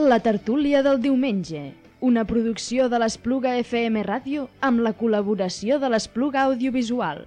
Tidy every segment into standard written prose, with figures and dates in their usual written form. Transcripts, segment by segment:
La tertúlia del diumenge, una producció de l'Espluga FM Ràdio amb la col·laboració de l'Espluga Audiovisual.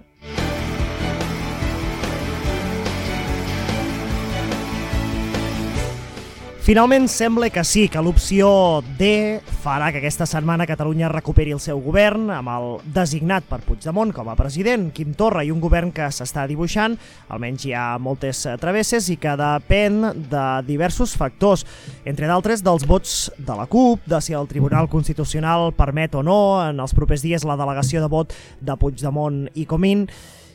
Finalment sembla que sí, que l'opció D farà que aquesta setmana Catalunya recuperi el seu govern amb el designat per Puigdemont com a president, Quim Torra, i un govern que s'està dibuixant, almenys hi ha moltes travesses i que depèn de diversos factors, entre d'altres dels vots de la CUP, de si el Tribunal Constitucional permet o no en els propers dies la delegació de vot de Puigdemont i Comín.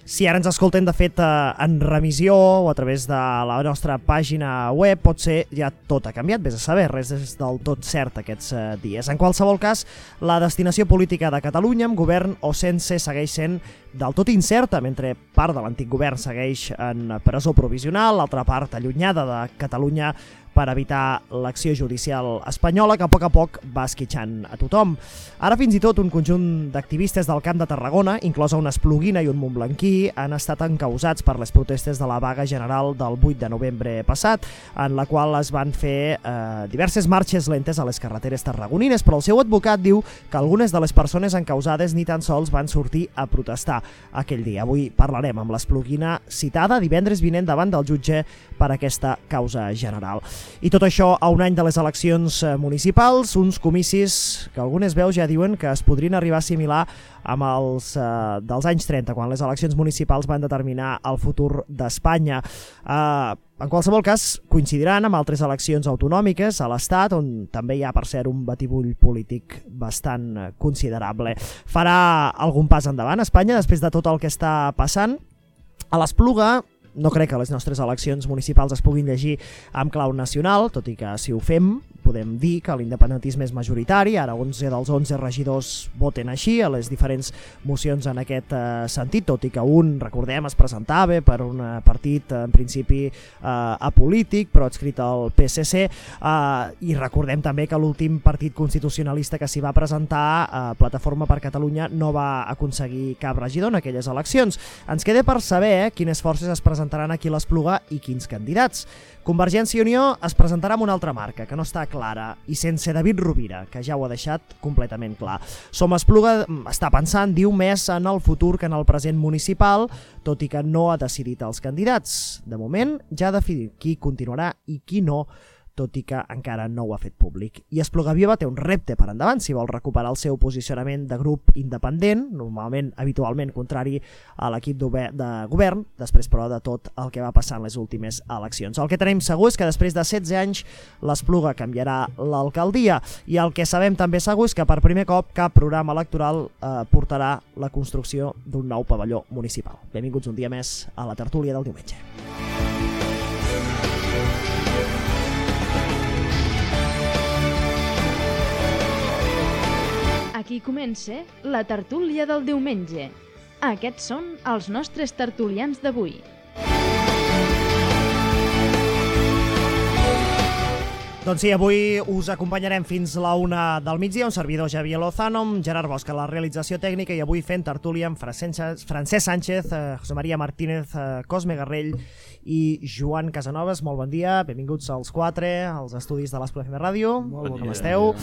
Si ara ens escolten, de fet, en remissió o a través de la nostra pàgina web, potser ja tot ha canviat, vés a saber, res és del tot cert aquests dies. En qualsevol cas, la destinació política de Catalunya, amb govern o sense, segueix sent del tot incerta, mentre part de l'antic govern segueix en presó provisional, l'altra part allunyada de Catalunya per evitar l'acció judicial espanyola que a poc va esquitxant a tothom. Ara fins i tot un conjunt d'activistes del Camp de Tarragona, inclosa una espluguina i un montblanquí, han estat encausats per les protestes de la vaga general del 8 de novembre passat, en la qual es van fer diverses marxes lentes a les carreteres tarragonines, però el seu advocat diu que algunes de les persones encausades ni tan sols van sortir a protestar aquell dia. Avui parlarem amb l'espluguina citada divendres vinent davant del jutge per aquesta causa general. I tot això a un any de les eleccions municipals, uns comicis que algunes veus ja diuen que es podrien arribar a assimilar amb els dels anys 30, quan les eleccions municipals van determinar el futur d'Espanya. En qualsevol cas, coincidiran amb altres eleccions autonòmiques a l'Estat, on també hi ha, per cert, un batibull polític bastant considerable. Farà algun pas endavant Espanya després de tot el que està passant? A l'Espluga no crec que les nostres eleccions municipals es puguin llegir amb clau nacional, tot i que si ho fem podem dir que l'independentisme és majoritari, ara 11 dels 11 regidors voten així a les diferents mocions en aquest sentit, tot i que un, recordem, es presentava per un partit en principi apolític, però adscrit al PSC, i recordem també que l'últim partit constitucionalista que s'hi va presentar, Plataforma per Catalunya, no va aconseguir cap regidor en aquelles eleccions. Ens queda per saber quines forces es presentaran aquí a l'Espluga i quins candidats. Convergència i Unió es presentarà amb una altra marca, que no està clara, i sense David Rovira, que ja ho ha deixat completament clar. Som Espluga està pensant, diu, més en el futur que en el present municipal, tot i que no ha decidit els candidats. De moment ja ha decidit qui continuarà i qui no, tot i que encara no ho ha fet públic. I Espluga Viva té un repte per endavant si vol recuperar el seu posicionament de grup independent, habitualment contrari a l'equip de govern, després però de tot el que va passar en les últimes eleccions. El que tenim segur és que després de 16 anys l'Espluga canviarà l'alcaldia, i el que sabem també segur és que per primer cop cap programa electoral portarà la construcció d'un nou pavelló municipal. Benvinguts un dia més a la tertúlia del diumenge. Aquí comença la tertúlia del diumenge. Aquests són els nostres tertulians d'avui. Doncs sí, avui us acompanyarem fins la 1 del migdia, un servidor Javier Lozano, amb Gerard Bosch a la realització tècnica, i avui fent tertúlia amb Francesc Sánchez, José María Martínez, Cosme Garrell i Joan Casanovas. Molt bon dia, benvinguts als 4, als estudis de l'Espluga FM Ràdio. Com esteu?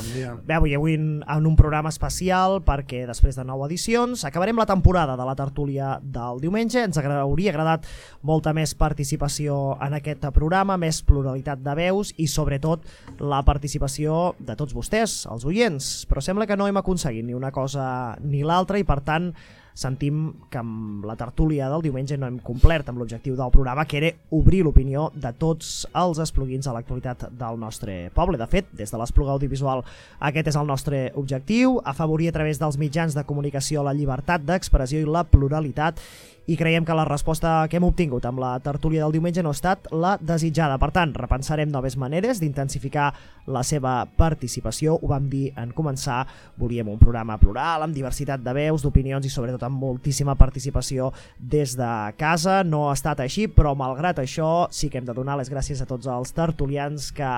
Bé, avui en un programa especial perquè després de 9 edicions acabarem la temporada de la tertúlia del diumenge. Ens hauria agradat molta més participació en aquest programa, més pluralitat de veus i sobretot la participació de tots vostès, els oients, però sembla que no hem aconseguit ni una cosa ni l'altra, i per tant sentim que amb la tertúlia del diumenge no hem complert amb l'objectiu del programa, que era obrir l'opinió de tots els espluguins a l'actualitat del nostre poble. De fet, des de l'Espluga Audiovisual aquest és el nostre objectiu, afavorir a través dels mitjans de comunicació la llibertat d'expressió i la pluralitat, i creiem que la resposta que hem obtingut amb la tertúlia del diumenge no ha estat la desitjada. Per tant, repensarem noves maneres d'intensificar la seva participació. Ho vam dir en començar, volíem un programa plural, amb diversitat de veus, d'opinions i sobretot amb moltíssima participació des de casa. No ha estat així, però malgrat això sí que hem de donar les gràcies a tots els tertulians que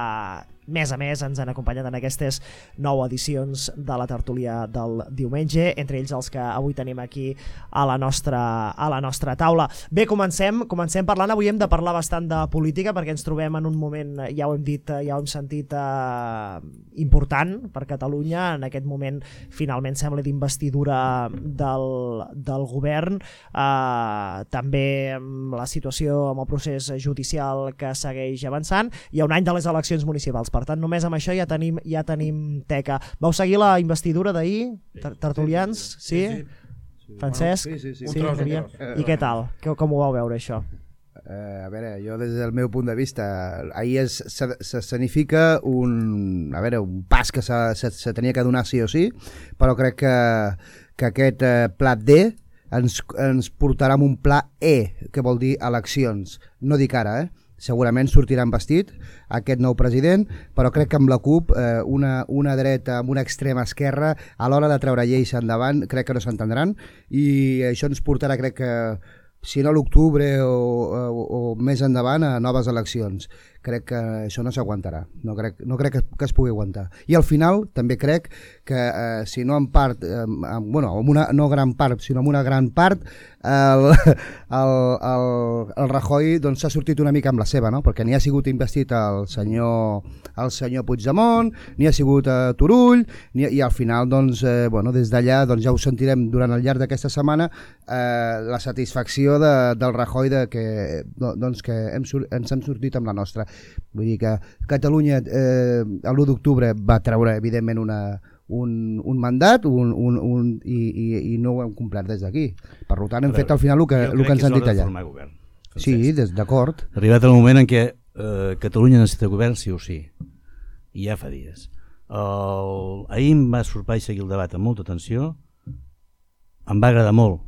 mes a mes ens han acompanyat en aquestes 9 edicions de la tertúlia del diumenge, entre ells els que avui tenim aquí a la nostra taula. Bé, comencem parlant. Avui hem de parlar bastant de política perquè ens trobem en un moment, ja ho hem dit, ja ho hem sentit, important per Catalunya. En aquest moment finalment sembla d'investidura del govern, també amb la situació, amb el procés judicial que segueix avançant. Hi ha un any de les eleccions municipals. Per tant, només amb això ja tenim teca. Vau seguir la investidura d'ahir, tertulians? Sí? Francesc? Sí. I què tal? Com ho vau veure, això? A veure, jo des del meu punt de vista, ahir s'escenifica un pas que se tenia que donar sí o sí, però crec que aquest plat D ens portarà amb un pla E, que vol dir eleccions. No dic ara, segurament sortirà investit aquest nou president, però crec que amb la CUP una dreta amb una extrema esquerra a l'hora de treure lleis endavant crec que no s'entendran, i això ens portarà, crec que si no a l'octubre o més endavant, a noves eleccions. Crec que això no s'aguantarà, no crec que es pugui aguantar. I al final també crec que si no en part, no gran part, sinó en una gran part, el Rajoy doncs, s'ha sortit una mica amb la seva, no? Perquè ni ha sigut investit el senyor Puigdemont, ni ha sigut Turull, i al final doncs, des d'allà doncs, ja ho sentirem durant el llarg d'aquesta setmana, la satisfacció del Rajoy que ens hem sortit amb la nostra. Vull dir que Catalunya l'1 d'octubre va treure evidentment un mandat i no ho hem complert des d'aquí. Per tant hem fet al final el que ens han dit allà. Govern, sí, d'acord. Arribat el moment en què Catalunya necessita govern sí o sí, i ja fa dies. Ahir em va sorprendre seguir el debat amb molta atenció. Em va agradar molt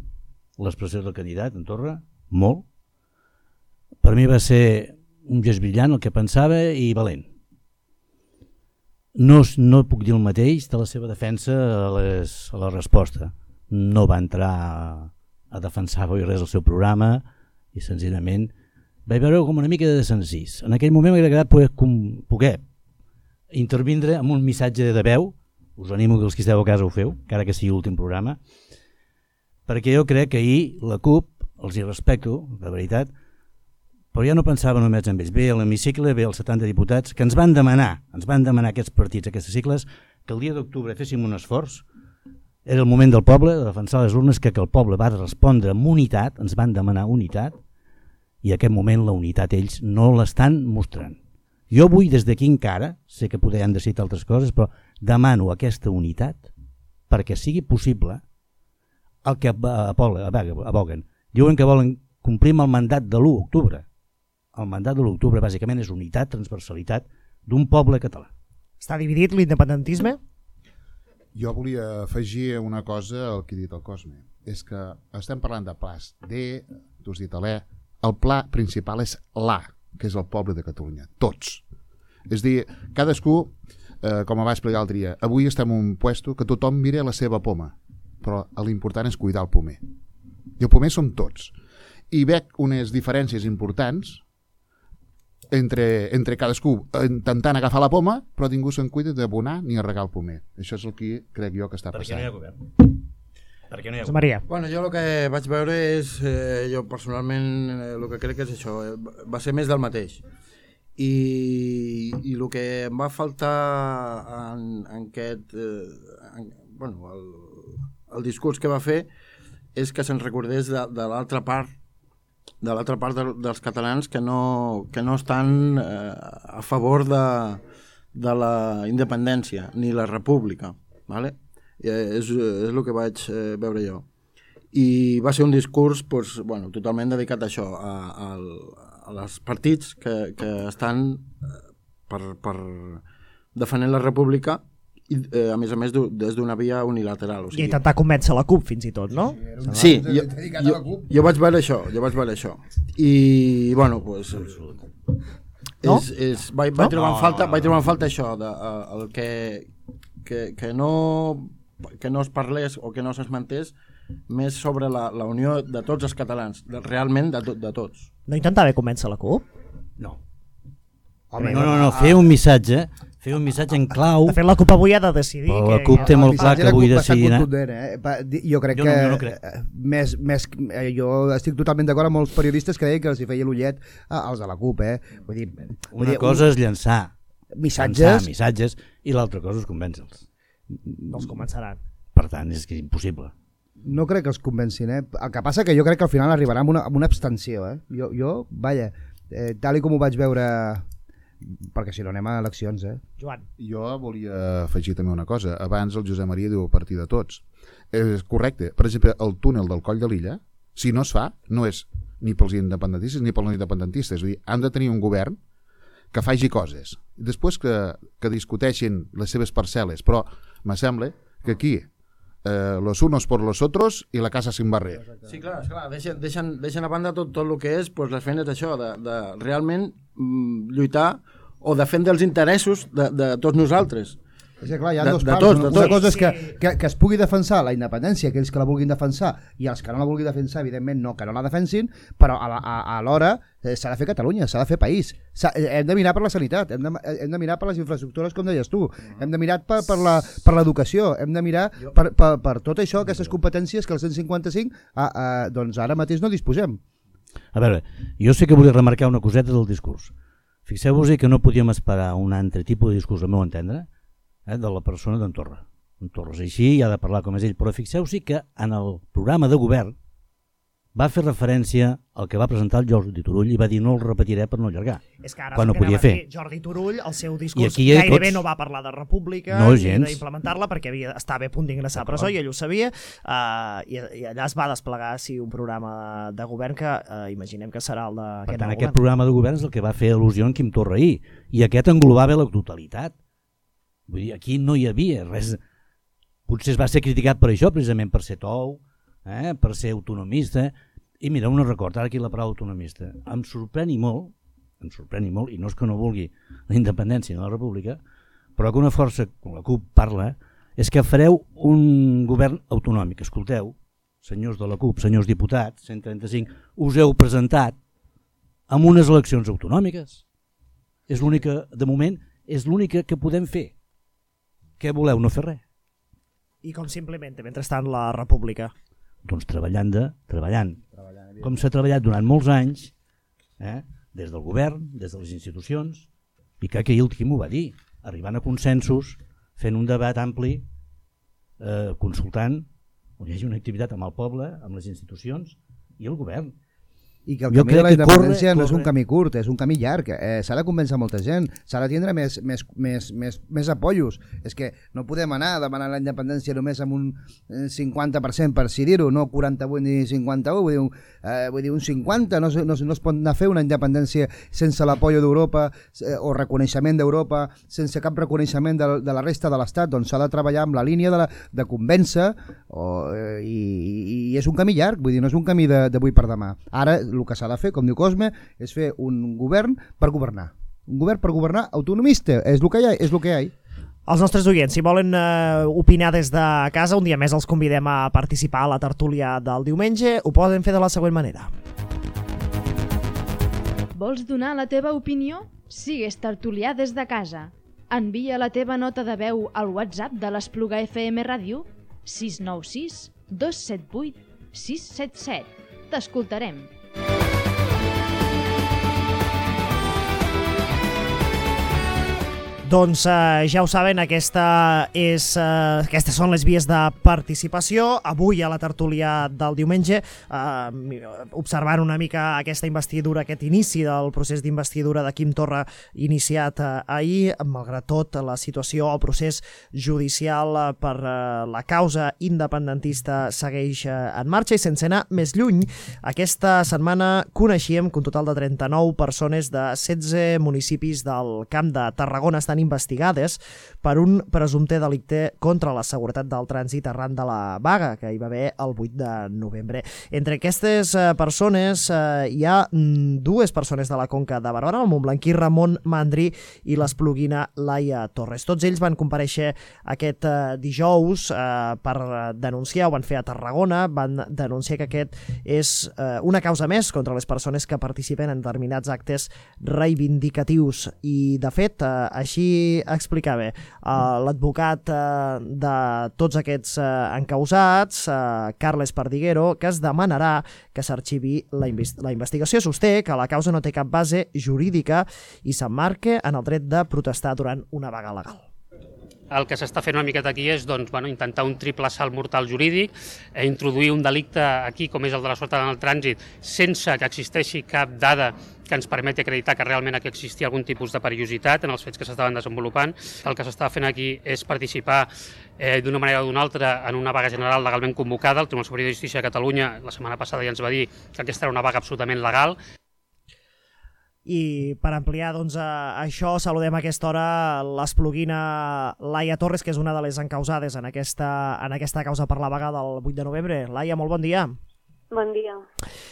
l'expressió del candidat en Torra, molt. Per mi va ser un gest brillant el que pensava i valent. No puc dir el mateix de la seva defensa a la resposta. No va entrar a defensar res del seu programa i senzillament vaig veure com una mica de desencís. En aquell moment m'hauria agradat poder intervindre amb un missatge de veu. Us animo que els que esteu a casa ho feu, encara que sigui l'últim programa, perquè jo crec que ahir la CUP, els hi respecto, de veritat, però ja no pensava només en ells. Ve a l'hemicicle, ve els 70 diputats que ens van demanar aquests partits, aquests cicles, que el dia d'octubre féssim un esforç. Era el moment del poble de defensar les urnes, que el poble va respondre amb unitat, ens van demanar unitat, i en aquest moment la unitat ells no l'estan mostrant. Jo vull des d'aquí encara, sé que podran decidir altres coses, però demano aquesta unitat perquè sigui possible el que aboguen. Diuen que volen complir amb el mandat de l'1 d'octubre. El mandat de l'octubre bàsicament és unitat, transversalitat d'un poble català. Està dividit l'independentisme? Jo volia afegir una cosa al que ha dit el Cosme. És que estem parlant de plans D, tu has dit l'E, el pla principal és l'A, que és el poble de Catalunya, tots. És dir, cadascú, com va explicar l'altre dia, avui estem en un puesto que tothom mira la seva poma, però l'important és cuidar el pomer. I el pomer som tots. I veig unes diferències importants entre cadascú intentant agafar la poma, però ningú se'n cuida d'abonar ni a regar el pomer. Això és el que crec jo que està passant. Perquè no hi ha govern. Perquè no hi ha govern. Maria. Bueno, jo el que vaig veure és, jo personalment el que crec és això, va ser més del mateix. I el que em va faltar en aquest, el discurs que va fer és que se'n recordés de l'altra part dels catalans que no estan a favor de la independència ni la república, ¿vale? És el que vaig veure jo, i va ser un discurs totalment dedicat a això, als partits que estan per defendent la república i a més des d'una via unilateral, o sigui, i intentar convèncer la CUP fins i tot, no? Sí, jo vaig veure això i bueno, pues vaig trobar en falta això el que no es parlés o que no s'esmentés més sobre la unió de tots els catalans, realment de tots. No intentava convèncer la CUP? No. No, fer un missatge fer un missatge en clau. De fet, la CUP avui ha de decidir. Però la CUP té molt clar que avui decidirà. Jo crec que jo estic totalment d'acord amb els periodistes que deien que els hi feia l'ullet als de la CUP. Vull dir, una cosa és llançar missatges i l'altra cosa és convèncer-los. No els convenceran. Per tant, és que és impossible. No crec que els convencin. El que passa que jo crec que al final arribarà amb una abstenció. Vaja, tal com ho vaig veure, perquè si no anem a eleccions. Joan. Jo volia afegir també una cosa. Abans el Josep Maria diu a partir de tots. És correcte. Per exemple, el túnel del Coll de Lilla, si no es fa, no és ni pels independentistes ni pels no independentistes. És a dir, han de tenir un govern que faci coses. Després que discuteixin les seves parcel·les, però me sembla que aquí los unos por los otros i la casa sin barrer. Sí, clar, deixen a banda tot el que és les feines d'això, de realment lluitar o defendre els interessos de tots nosaltres. És que clar, hi ha dos parts. Una cosa és que es pugui defensar la independència, aquells que la vulguin defensar, i els que no la vulguin defensar, evidentment que no la defensin, però alhora s'ha de fer Catalunya, s'ha de fer país. Hem de mirar per la sanitat, hem de mirar per les infraestructures, com deies tu, hem de mirar per l'educació, hem de mirar per tot això, aquestes competències que el 155 doncs ara mateix no disposem. A veure, jo sé que volia remarcar una coseta del discurs. Fixeu-vos que no podíem esperar un altre tipus de discurs, al meu entendre, de la persona d'en Torra. En Torra és així i ha de parlar com és ell, però fixeu-s'hi que en el programa de govern va fer referència al que va presentar el Jordi Turull i va dir no el repetiré per no allargar. És que ara quan ho podia fer. Jordi Turull, el seu discurs gairebé no va parlar de república ni d'implementar-la perquè estava a punt d'ingressar a presó i ell ho sabia, i allà es va desplegar un programa de govern que imaginem que serà el d'aquest nou govern. Per tant, aquest programa de govern és el que va fer al·lusió en Quim Torra ahir, i aquest englobava la totalitat. Vull dir, aquí no hi havia res. Potser es va ser criticat per això, precisament per ser tou, per ser autonomista. I mira, un record, ara aquí la paraula autonomista. Em sorprèn i molt, i no és que no vulgui la independència ni la república, però que una força com la CUP parla, és que fareu un govern autonòmic. Escolteu, senyors de la CUP, senyors diputats, 135, us heu presentat amb unes eleccions autonòmiques. És l'única, de moment, és l'única que podem fer. Què voleu? No fer res. I com s'implementa mentrestant la república? Doncs treballant. Com s'ha treballat durant molts anys, des del govern, des de les institucions, i que ahir el Quim ho va dir, arribant a consensos, fent un debat ampli, consultant, on hi hagi una activitat amb el poble, amb les institucions i el govern. I que el camí de la independència no és un camí curt, és un camí llarg. S'ha de convèncer molta gent, s'ha de tindre més apoyos. És que no podem anar a demanar la independència només amb un 50%, per si dir-ho, no 48 ni 51, vull dir un 50, no es pot anar a fer una independència sense l'apoi d'Europa o reconeixement d'Europa, sense cap reconeixement de la resta de l'Estat. Doncs s'ha de treballar amb la línia de convèncer, i és un camí llarg, vull dir, no és un camí d'avui per demà. Ara el que s'ha de fer, com diu Cosme, és fer un govern per governar. Un govern per governar autonomista, és el que hi ha. Els nostres oients, si volen opinar des de casa, un dia més els convidem a participar a la tertúlia del diumenge. Ho poden fer de la següent manera. Vols donar la teva opinió? Sigues tertulià des de casa. Envia la teva nota de veu al WhatsApp de l'Espluga FM Ràdio 696 278 677. T'escoltarem. Doncs ja ho saben, aquestes són les vies de participació. Avui a la tertúlia del diumenge, observant una mica aquesta investidura, aquest inici del procés d'investidura de Quim Torra iniciat ahir, malgrat tot la situació, el procés judicial per la causa independentista segueix en marxa, i sense anar més lluny, aquesta setmana coneixíem que un total de 39 persones de 16 municipis del Camp de Tarragona estan investigades per un presumpte delicte contra la seguretat del trànsit arran de la vaga que hi va haver el 8 de novembre. Entre aquestes persones hi ha dues persones de la Conca de Barberà, el montblanquí Ramon Mandri i l'espluguina Laia Torres. Tots ells van comparèixer aquest dijous per denunciar, ho van fer a Tarragona, van denunciar que aquest és una causa més contra les persones que participen en determinats actes reivindicatius, i de fet així vagi a explicar bé. L'advocat de tots aquests encausats, Carles Pardiguero, que es demanarà que s'arxivi la investigació. Sosté que la causa no té cap base jurídica i s'emmarca en el dret de protestar durant una vaga legal. El que s'està fent una miqueta aquí és intentar un triple salt mortal jurídic, introduir un delicte aquí, com és el de la seguretat en el trànsit, sense que existeixi cap dada que ens permeti acreditar que realment aquí existia algun tipus de perillositat en els fets que s'estaven desenvolupant. El que s'està fent aquí és participar d'una manera o d'una altra en una vaga general legalment convocada. El Tribunal Superior de Justícia de Catalunya la setmana passada ja ens va dir que aquesta era una vaga absolutament legal. I per ampliar això, saludem a aquesta hora l'espluguina Laia Torres, que és una de les encausades en aquesta causa per la vaga del 8 de novembre. Laia, molt bon dia. Bon dia.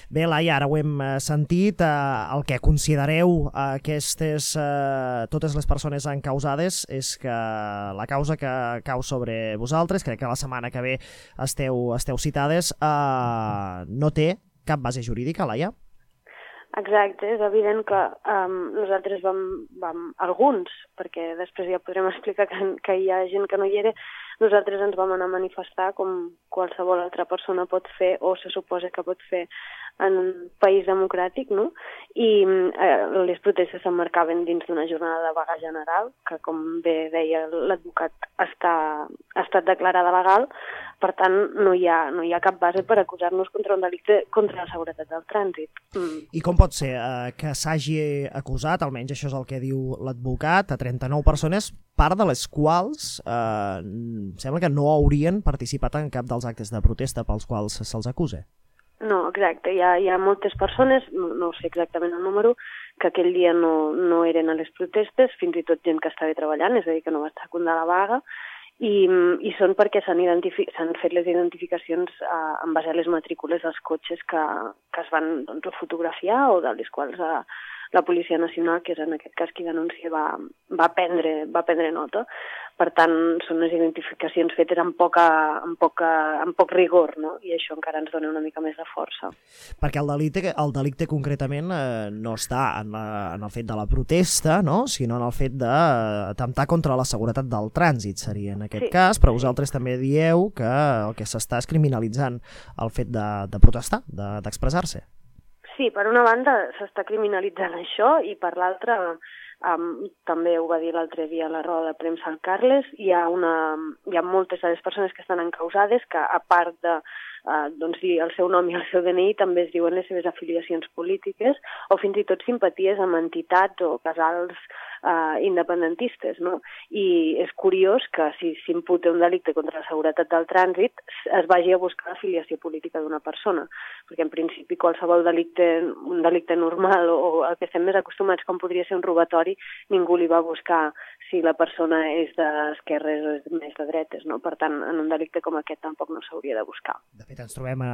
Bé, Laia, ara ho hem sentit, el que considereu totes les persones encausades és que la causa que cau sobre vosaltres, crec que la setmana que ve esteu citades, no té cap base jurídica, Laia? Exacte, és evident que nosaltres vam, alguns, perquè després ja podrem explicar que hi ha gent que no hi era, nosaltres ens vam anar a manifestar com qualsevol altra persona pot fer o se suposa que pot fer en un país democràtic, no? I les protestes s'emmarcaven dins d'una jornada de vaga general, que com bé deia l'advocat ha estat declarada legal, per tant no hi ha cap base per acusar-nos contra un delicte contra la seguretat del trànsit. I com pot ser que s'hagi acusat, almenys això és el que diu l'advocat, a 39 persones, part de les quals sembla que no haurien participat en cap dels actes de protesta pels quals se'ls acusa? No, exacte. Hi ha moltes persones, no sé exactament el número, que aquell dia no eren a les protestes, fins i tot gent que estava treballant, és a dir, que no va estar a comptar la vaga, i són perquè s'han fet les identificacions en base a les matrícules dels cotxes que es van fotografiar o de les quals la Policia Nacional, que és en aquest cas qui denuncia, va prendre nota. Per tant, són les identificacions fetes amb poc rigor, no? I això encara ens dona una mica més de força. Perquè el delicte concretament no està en el fet de la protesta, no? Sinó en el fet d'atemptar contra la seguretat del trànsit, seria en aquest cas, però vosaltres també dieu que el que s'està és criminalitzant el fet de protestar, d'expressar-se. Sí, per una banda s'està criminalitzant això i per l'altra, també ho va dir l'altre dia a la roda de premsa el Carles, hi ha moltes de les persones que estan encausades que a part de dir el seu nom i el seu DNI també es diuen les seves afiliacions polítiques o fins i tot simpaties amb entitats o casals independentistes, no? I és curiós que si s'imputa un delicte contra la seguretat del trànsit es vagi a buscar l'afiliació política d'una persona, perquè en principi qualsevol un delicte normal o el que estem més acostumats com podria ser un robatori, ningú li va buscar si la persona és d'esquerres o és més de dretes, no? Per tant, en un delicte com aquest tampoc no s'hauria de buscar. De fet, ens trobem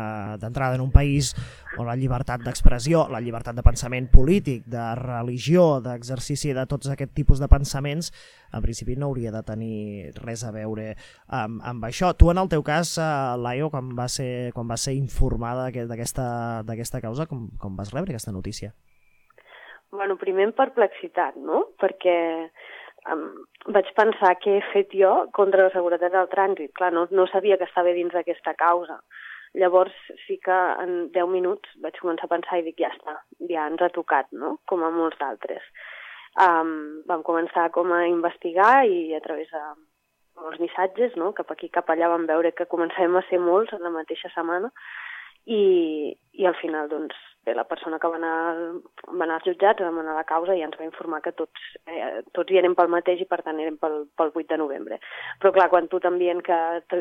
d'entrada en un país on la llibertat d'expressió, la llibertat de pensament polític, de religió, d'exercici de tots aquest tipus de pensaments, en principi no hauria de tenir res a veure amb això. Tu, en el teu cas, Laio, quan va ser informada d'aquesta causa, com vas rebre aquesta notícia? Bueno, primer en perplexitat, no? Perquè vaig pensar què he fet jo contra la seguretat del trànsit. Clar, no sabia que estava dins d'aquesta causa. Llavors sí que en 10 minuts vaig començar a pensar i dic, ja està, ja ens ha tocat, no? Com a molts d'altres. Vam començar com a investigar i a través de molts missatges, no? Cap aquí, cap allà vam veure que començàvem a ser molts en la mateixa setmana i al final, doncs, bé, la persona que va anar als jutjats, vam anar a la causa i ens va informar que tots hi érem pel mateix i per tant érem pel 8 de novembre. Però clar, quan tu t'envien que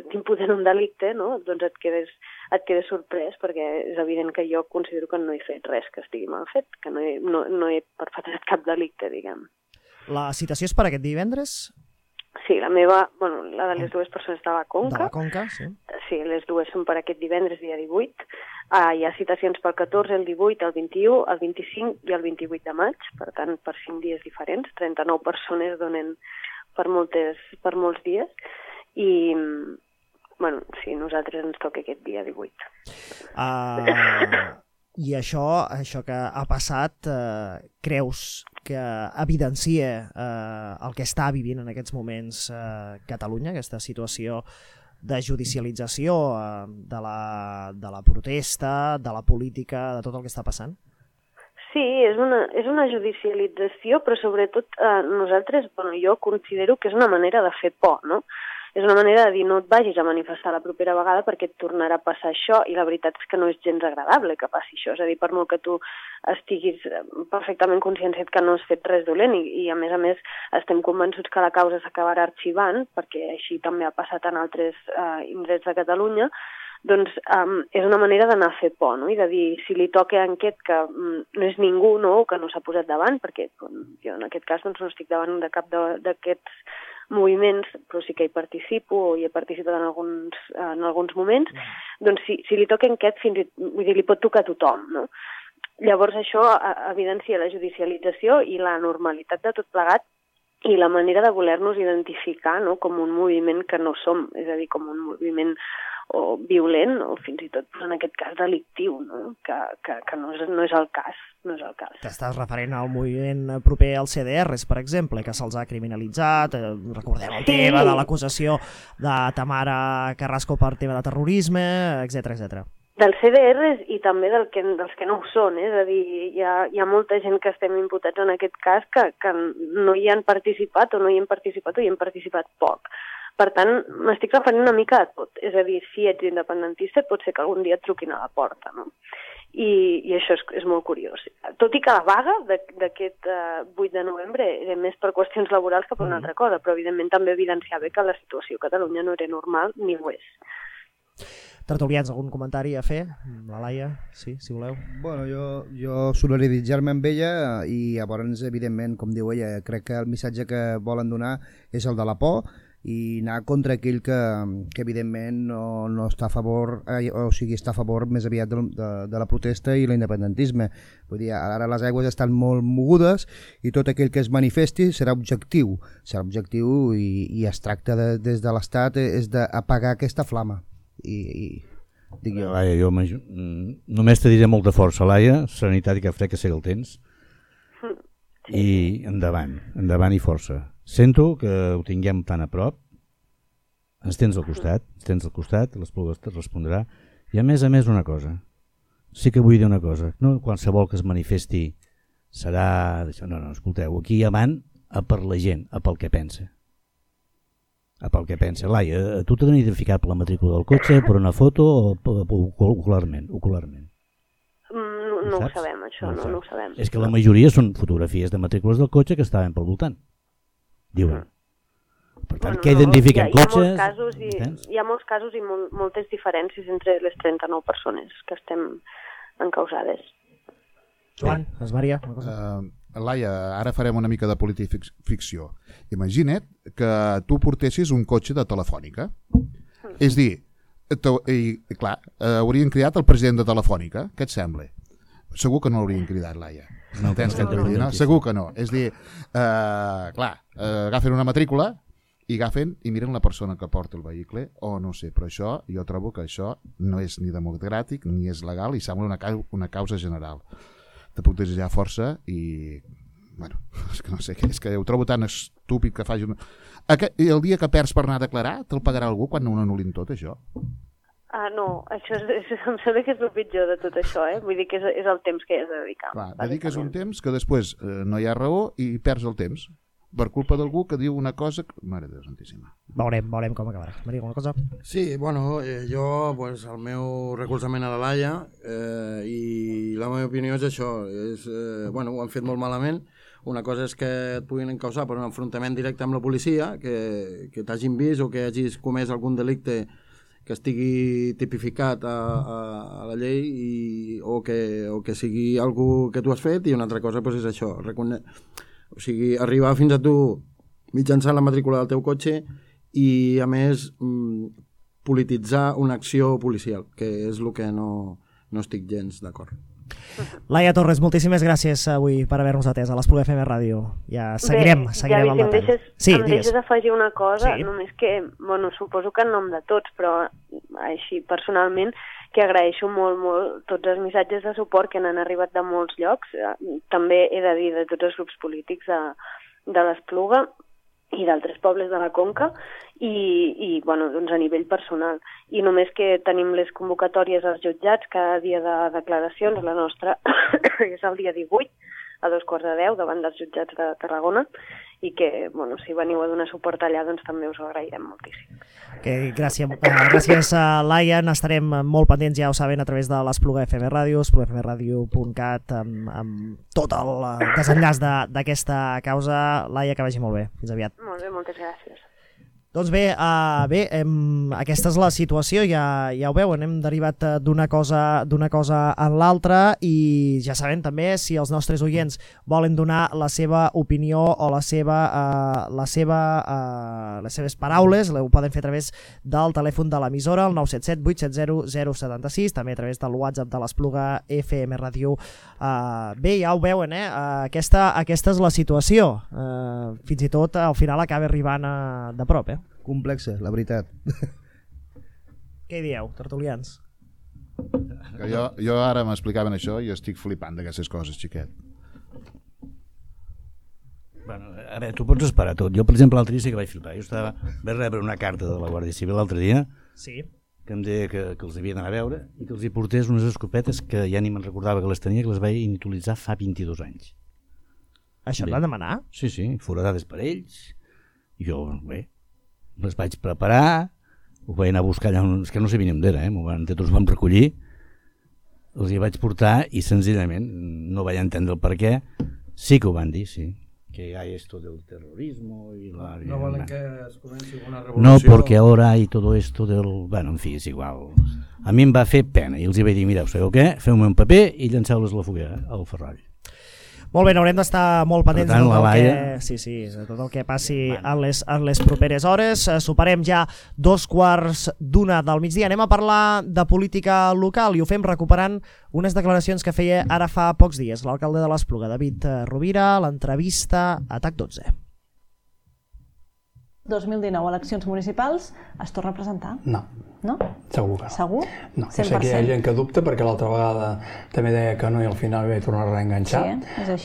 t'imputen un delicte, no? Doncs et quedes sorprès perquè és evident que jo considero que no he fet res que estigui mal fet, que no he perpetrat cap delicte, diguem. La citació és per aquest divendres? Sí, la meva, la de les dues persones de la Conca. De la Conca, sí. Sí, les dues són per aquest divendres, dia 18. Hi ha citacions pel 14, el 18, el 21, el 25 i el 28 de maig, per tant, per 5 dies diferents. 39 persones donen per molts dies. I, sí, nosaltres ens toca aquest dia 18. I això que ha passat, creus que evidencia el que està vivint en aquests moments Catalunya, aquesta situació de judicialització de la protesta, de la política, de tot el que està passant? Sí, és una judicialització, però sobretot nosaltres, jo considero que és una manera de fer por, no? És una manera de dir no et vagis a manifestar la propera vegada perquè et tornarà a passar això, i la veritat és que no és gens agradable que passi això. És a dir, per molt que tu estiguis perfectament conscient que no has fet res dolent i a més estem convençuts que la causa s'acabarà arxivant, perquè així també ha passat en altres indrets de Catalunya, doncs és una manera d'anar a fer por, no? I de dir, si li toca a aquest que no és ningú, no? Que no s'ha posat davant, perquè jo en aquest cas no estic davant de cap d'aquests moviments, però sí que hi participo o hi he participat en alguns moments, doncs si li toca a aquest, vull dir, li pot tocar a tothom, no? Llavors això evidencia la judicialització i la normalitat de tot plegat i la manera de voler-nos identificar, no? Com un moviment que no som, és a dir, com un moviment o violent o fins i tot en aquest cas delictiu, no? Que no és el cas. No és el cas. T'estàs referent al moviment proper als CDRs, per exemple, que se'ls ha criminalitzat, recordem el tema de l'acusació de Tamara Carrasco per tema de terrorisme, etc. Dels CDRs i també dels que no ho són, és a dir, hi ha molta gent que estem imputats en aquest cas que no hi han participat o no hi hem participat o hi hem participat poc. Per tant, m'estic referint una mica a tot, és a dir, si ets independentista pot ser que algun dia et truquin a la porta, no? I això és molt curiós. Tot i que la vaga d'aquest 8 de novembre era més per qüestions laborals que per una altra cosa, però evidentment també evidenciava que la situació a Catalunya no era normal ni ho és. Tertulians, algun comentari a fer? La Laia, sí, si voleu. Bueno, jo solidaritzar-me amb ella i llavors, evidentment, com diu ella, crec que el missatge que volen donar és el de la por i anar contra aquell que evidentment no està a favor, o sigui, està a favor més aviat de la protesta i l'independentisme. Vull dir, ara les aigües estan molt mogudes i tot aquell que es manifesti serà objectiu i es tracta des de l'Estat és d'apagar aquesta flama. Dic jo. Laia, jo només te diré molta força, Laia, serenitat i que fred que sé que el tens, i endavant i força. Sento que ho tinguem tan a prop, ens tens al costat, l'Espluga et respondrà, i a més una cosa, sí que vull dir una cosa, no qualsevol que es manifesti serà... No, escolteu, aquí avant a per la gent, a pel que pensa. Laia, tu t'has identificat per la matrícula del cotxe, per una foto o ocularment? No ho sabem, això, no ho sabem. És que la majoria són fotografies de matrícules del cotxe que estaven pel voltant, diuen. Per tant, què identifiquen? Cotxes? Hi ha molts casos i moltes diferències entre les 39 persones que estem encausades. Joan, Maria, una cosa. Laia, ara farem una mica de politificció. Imagina't que tu portessis un cotxe de Telefònica. És dir, clar, haurien cridat el president de Telefònica. Què et sembla? Segur que no l'haurien cridat, Laia. No, segur que no. És dir, clar, agafen una matrícula i agafen i miren la persona que porta el vehicle, o no sé, però això, jo trobo que això no és ni democràtic ni és legal i sembla una causa general. Te puc desitjar força i, bueno, és que no sé, és que ho trobo tan estúpid que faci el dia que perds per anar a declarar te'l pagarà algú quan no anul·lin tot això? No, això em sembla que és el pitjor de tot això, Vull dir que és el temps que hi has de dedicar. Clar, dediques un temps que després no hi ha raó i perds el temps per culpa d'algú que diu una cosa que... Mare de Déu santíssima. Veurem com acabarà. Maria, alguna cosa? Sí, bueno, jo, pues, el meu recolzament a la Laia i la meva opinió és això. Bueno, ho han fet molt malament. Una cosa és que et puguin encausar per un enfrontament directe amb la policia, que t'hagin vist o que hagis comès algun delicte que estigui tipificat a la llei o que sigui algú que tu has fet, i una altra cosa pues, és això, o sigui, arribar fins a tu mitjançant la matrícula del teu cotxe i, a més, polititzar una acció policial, que és el que no estic gens d'acord. Laia Torres, moltíssimes gràcies avui per haver-nos atès a l'Espluga FM Ràdio. Ja seguirem el detall. Em deixes afegir una cosa, només que, bueno, suposo que en nom de tots, però així personalment, que agraeixo molt tots els missatges de suport que n'han arribat de molts llocs, també he de dir de tots els grups polítics de l'Espluga i d'altres pobles de la Conca i bueno, doncs a nivell personal. I només que tenim les convocatòries als jutjats cada dia de declaracions, la nostra és el dia 18 a 2:15 davant dels jutjats de Tarragona i que, bueno, si veniu a donar suport allà, doncs també us ho agrairem moltíssim. Gràcies, Laia. N'estarem molt pendents, ja ho saben, a través de l'Espluga FM Ràdio, esplugafmradio.cat, amb tot el desenllaç d'aquesta causa. Laia, que vagi molt bé. Fins aviat. Molt bé, moltes gràcies. Doncs bé, aquesta és la situació, ja ho veuen, hem derivat d'una cosa en l'altra i ja saben també si els nostres oients volen donar la seva opinió o les seves paraules, ho poden fer a través del telèfon de l'emissora, el 977 870 076, també a través del WhatsApp de l'Espluga FM Ràdio. Bé, ja ho veuen, aquesta és la situació, fins i tot al final acaba arribant de prop, complexa, la veritat. Què dieu, tertulians? Que jo ara m'explicaven això i estic flipant d'aquestes coses, xiquet. Bueno, a veure, tu pots esperar tot. Jo, per exemple, l'altre dia sí que vaig flipar. Vaig rebre una carta de la Guàrdia Civil l'altre dia que em deia que els havia d'anar a veure i que els hi portés unes escopetes que ja ni me'n recordava que les tenia, que les vaig utilitzar fa 22 anys. Això et van demanar? Sí, foradades per ells. I jo, bé, les vaig preparar, ho vaig anar a buscar allà, és que no sabia ni on era, tots els vam recollir, els hi vaig portar i senzillament no vaig entendre el per què. Sí que ho van dir, sí, que hi ha esto del terrorismo y la... No volen que es comenci una revolució. No, porque ahora hay todo esto del... Bueno, en fi, és igual. A mi em va fer pena i els hi vaig dir, mireu, sabeu què? Feu-me un paper i llanceu-les a la foguera, al ferrall. Molt bé, n'haurem d'estar molt pendents de tot el que passi en les properes hores. Superem ja 2:15 del migdia. Anem a parlar de política local i ho fem recuperant unes declaracions que feia ara fa pocs dies l'alcalde de l'Espluga, David Rovira, l'entrevista a TAC12. 2019, eleccions municipals, es torna a presentar? No. No? Segur que no. Segur? No, jo sé que hi ha gent que dubta perquè l'altra vegada també deia que no i al final vaig tornar a reenganxar,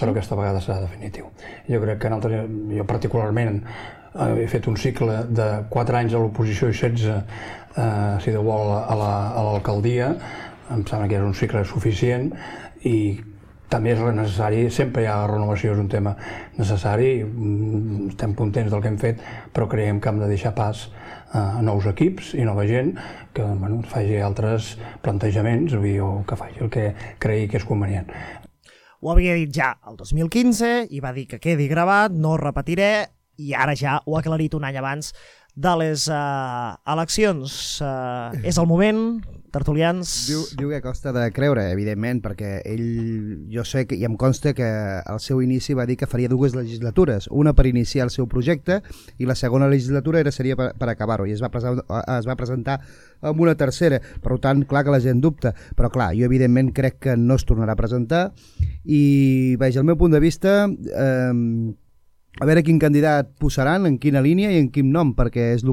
però aquesta vegada serà definitiu. Jo crec que jo particularment he fet un cicle de 4 anys a l'oposició i 16, si Déu vol, a l'alcaldia. Em sembla que era un cicle suficient i també és necessari, sempre hi ha renovació, és un tema necessari, estem contents del que hem fet, però creiem que hem de deixar pas a nous equips i nova gent que faci altres plantejaments o que faci el que cregui que és convenient. Ho havia dit ja el 2015 i va dir que quedi gravat, no ho repetiré, i ara ja ho ha aclarit un any abans de les eleccions. És el moment, tertulians... Diu que costa de creure, evidentment, perquè ell, jo sé i em consta que al seu inici va dir que faria 2 legislatures, una per iniciar el seu projecte i la segona legislatura seria per acabar-ho, i es va presentar amb una tercera. Per tant, clar que la gent dubta, però clar, jo evidentment crec que no es tornarà a presentar i, veig, el meu punt de vista... a veure quin candidat posaran, en quina línia i en quin nom, perquè és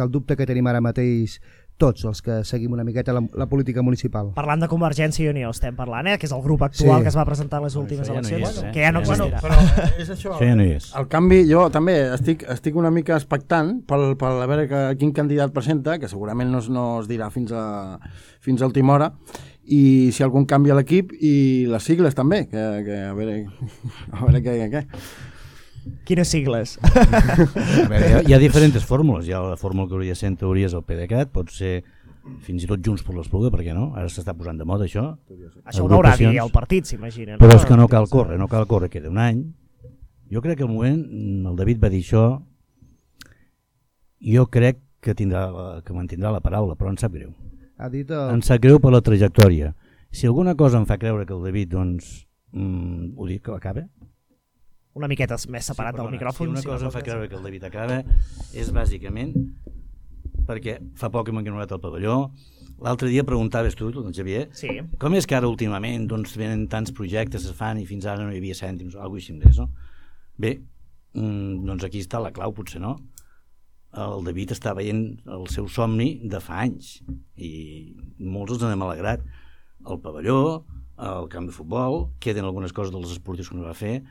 el dubte que tenim ara mateix tots els que seguim una miqueta la política municipal. Parlant de Convergència i Unió estem parlant, que és el grup actual que es va presentar en les últimes eleccions, que ja no existirà. Però és això, el canvi, jo també estic una mica expectant per a veure quin candidat presenta, que segurament no es dirà fins a última hora, i si algun canvi a l'equip i les sigles també, que a veure què. Quines sigles? Hi ha diferents fórmules. Hi ha la fórmula que hauria de ser en teoria és el PDeCAT, pot ser fins i tot Junts per l'Espluga, per què no? Ara s'està posant de moda això. Això ho haurà dit el partit, s'imagina. Però és que no cal córrer, queda un any. Jo crec que al moment, el David va dir això, jo crec que mantindrà la paraula, però em sap greu. Em sap greu per la trajectòria. Si alguna cosa em fa creure que el David, doncs, ho dic, que acaba, una miqueta més separat del micròfon. Si una cosa em fa creure que el David acaba és bàsicament perquè fa poc que m'han ignorat el pavelló. L'altre dia preguntaves tu, Xavier, com és que ara últimament venen tants projectes, es fan i fins ara no hi havia cèntims o alguna cosa així, no? Bé, doncs aquí està la clau, potser no, el David està veient el seu somni de fa anys i molts ens n'hem alegrat. El pavelló, el camp de futbol, queden algunes coses dels esportius que no va fer,